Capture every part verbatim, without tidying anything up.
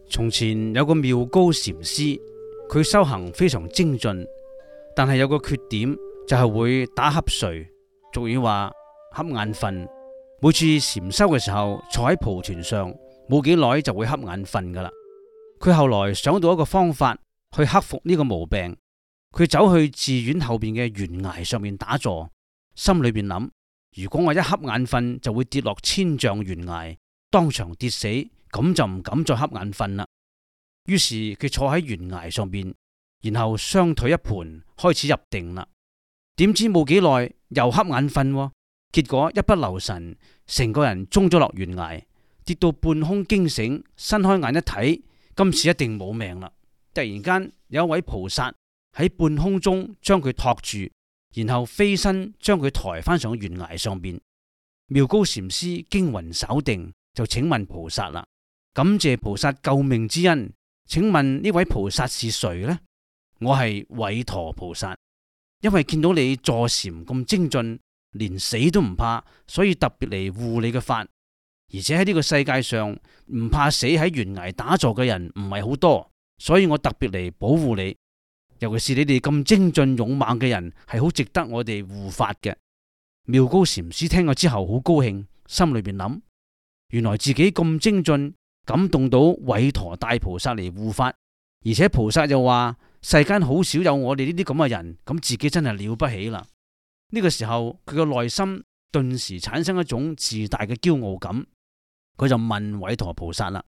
從前有個妙高禪師，佢修行非常精進，但係有個缺點就係會打瞌睡，俗語話瞌眼瞓。每次禪修嘅時候坐喺蒲團上，冇幾耐就會瞌眼瞓噶啦。佢後來想到一個方法去克服呢個毛病，佢走去寺院後邊嘅懸崖上面打坐，心裏邊諗：如果我一瞌眼瞓就會跌落千丈懸崖，當場跌死，咁就唔敢再瞌眼瞓啦。於是佢坐喺懸崖上邊，然後雙腿一盤開始入定啦。點知冇幾耐又瞌眼瞓，結果一不留神，成個人中咗落懸崖，跌到半空驚醒，伸開眼一睇，今次一定冇命啦。突然間有一位菩薩喺半空中將佢托住，然後飛身將佢抬翻上懸崖上邊。妙高禪師驚魂稍定，就請問菩薩啦：感謝菩薩救命之恩，請問呢位菩薩是誰呢？我係韋馱菩薩，因為見到你坐禪咁精進，連死都唔怕，所以特別嚟護你嘅法。而且喺呢個世界上唔怕死喺懸崖打坐嘅人唔係好多，所以我特別嚟保護你。尤其是你哋咁精進勇猛嘅人，係好值得我哋護法嘅。妙高禪師聽咗之後好高興，心裏邊諗：原來自己咁精進，感動到韋馱大菩薩嚟護法，而且菩薩又話世間好少有我哋呢啲咁嘅人，咁自己真係了不起啦。呢個時候佢嘅內心頓時產生一種自大嘅驕傲感，佢就問韋馱菩薩啦：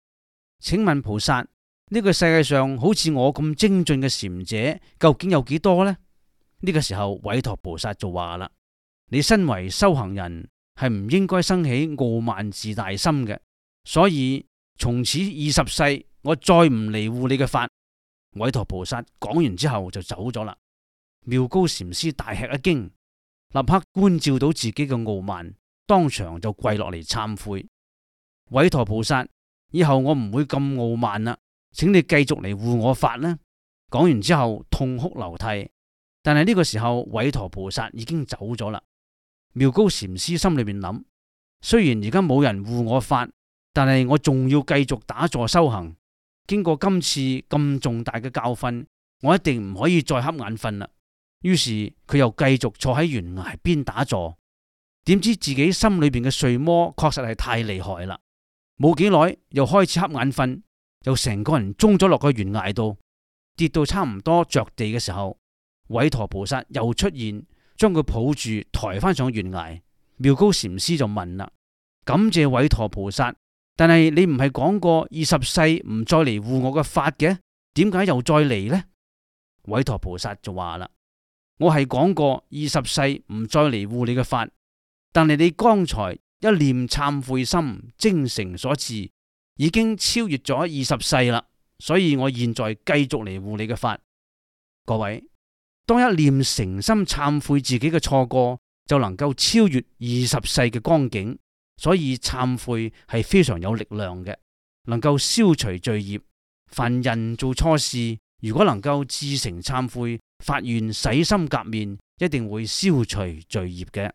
請問菩薩，呢個世界上好似我咁精進嘅禪者究竟有幾多呢？呢個時候韋馱菩薩就話啦：你身為修行人，係唔應該生起傲慢自大心嘅，所以從此二十世我再唔嚟護你嘅法。韋馱菩薩講完之後就走咗啦。妙高禪師大吃一驚，立刻觀照到自己嘅傲慢，當場就跪落嚟懺悔：韋馱菩薩，以後我唔會咁傲慢啦，請你繼續嚟護我法啦。講完之後痛哭流涕，但係呢個時候韋馱菩薩已經走咗啦。妙高禪師心裏面諗：雖然而家冇人護我法，但係我仲要繼續打坐修行。經過今次咁重大嘅教訓，我一定唔可以再瞌眼瞓啦。於是佢又繼續坐喺懸崖邊打坐。點知自己心裏邊嘅睡魔確實係太厲害啦，冇幾耐又開始瞌眼瞓，又成個人中咗落個懸崖度，跌到差唔多着地嘅時候，韋馱菩薩又出現，將佢抱住抬翻上懸崖。妙高禪師就問啦：感謝韋馱菩薩，但係你唔係講過二十世唔再嚟護我嘅法嘅，點解又再嚟呢？韋馱菩薩就話啦：我係講過二十世唔再嚟護你嘅法，但係你剛才一念懺悔心精誠所至，已經超越咗二十世啦，所以我現在繼續嚟護你嘅法。各位，當一念誠心懺悔自己嘅錯過，就能夠超越二十世嘅光景。所以懺悔係非常有力量嘅，能夠消除罪業。凡人做錯事，如果能夠至誠懺悔，發願洗心革面，一定會消除罪業嘅。